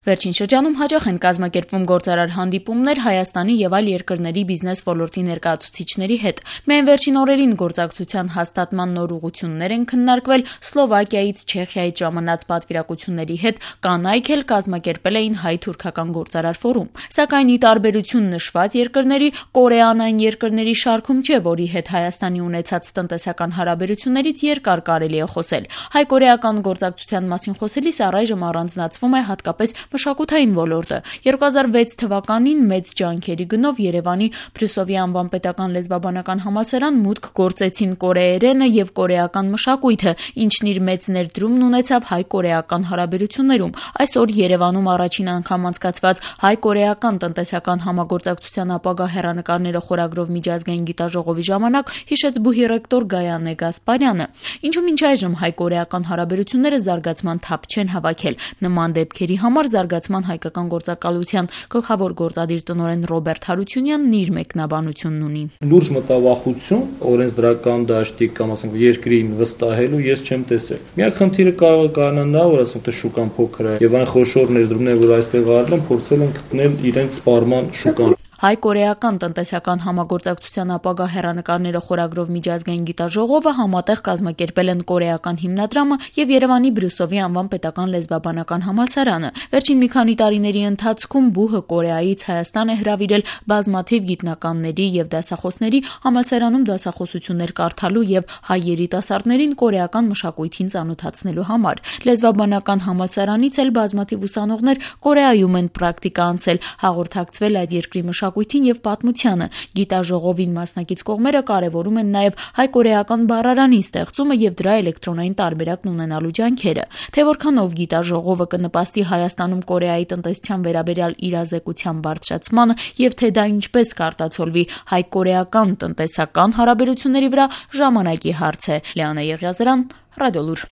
Վերջին շրջանում հաճախ են կազմակերպվում գործարար հանդիպումներ Հայաստանի եւ այլ երկրների բիզնես ոլորտի ներկայացուցիչների հետ։ Միայն վերջին օրերին գործակցության հաստատման նոր ուղղություններ են քննարկվել Սլովակիայից, Չեխիայից ժամանած պատվիրակությունների հետ, կանայք էլ կազմակերպել էին հայ-թուրքական գործարար ֆորում։ Սակայն ի տարբերություն նշված երկրների, Կորեան այն երկրների շարքում չէ, որի հետ Հայաստանի ունեցած տնտեսական հարաբերություններից երկար կարելի է խոսել։ Հայ-կորեական գործակցության մասին խոսելիս առայժմ առանձնացվում է հատկապես մշակութային ոլորտը։ 2006 թվականին մեծ ջանքերի գնով Երևանի Բրյուսովի անվան պետական լեզվաբանական համալսարան մուտք գործեցին կորեերենը եւ կորեական մշակույթը, ինչն իր մեծ ներդրումն ունեցավ հայ-կորեական հարաբերություններում։ Այսօր Երևանում առաջին անգամ անցկացված հայ-կորեական տնտեսական համագործակցության ապագա հեռանկարները խորագրով միջազգային գիտաժողովի ժամանակ հիշեց բուհի ռեկտոր Գայանե Գասպարյանը։ Ինչու մինչ այժմ հայ-կորեական հարաբերությունները զարգացման թափ չեն հավաքել։ Նման դեպքերի համար զարգացման հայկական գործակալության գլխավոր գործադիր տնօրեն Ռոբերտ Հարությունյանն իր մեկնաբանությունն ունի։ Լուրջ մտավախություն օրենսդրական դաշտի կամ ասենք երկրին վստահելու ես չեմ տեսել։ Միակ խնդիրը կարող է կանանալ նա, որ ասենք թե շուկան փոքր է եւ այն խոշոր ներդրումները, որ այստեղ արել են, փորձել են գտնել իրենց սպառման շուկան։ Հայ-կորեական տնտեսական համագործակցության ապագա հեռանկարները խորագրով միջազգային գիտաժողովը համատեղ կազմակերպել են կորեական հիմնադրամը եւ Երևանի Բրյուսովի անվան պետական լեզվաբանական համալսարանը։ Վերջին մի քանի տարիների ընթացքում բուհը Կորեայից Հայաստան է հրավիրել բազմաթիվ գիտնականների եւ դասախոսների համալսարանում դասախոսություններ կարդալու եւ հայ երիտասարդներին կորեական մշակույթին ծանոթացնելու համար։ Լեզվաբանական համալսարանից էլ բազմաթիվ ուսանողներ Կորեայում են պրակտիկա անցել, հաղորդակցվել այդ երկրի մշակույթին եւ պատմությանը։ Գիտաժողովին մասնակից կողմերը կարեւորում են նաեւ հայ-կորեական բառարանի ստեղծումը եւ դրա էլեկտրոնային տարբերակն ունենալու ջանքերը։ Թե որքանով գիտաժողովը կնպաստի Հայաստանում Կորեայի տնտեսության վերաբերյալ իրազեկության բարձրացմանը եւ թե դա ինչպես կարտացոլվի հայ-կորեական տնտեսական հարաբերությունների վրա, ժամանակի հարց է։ Լիանա Եղիազարյան, Ռադիոլուր։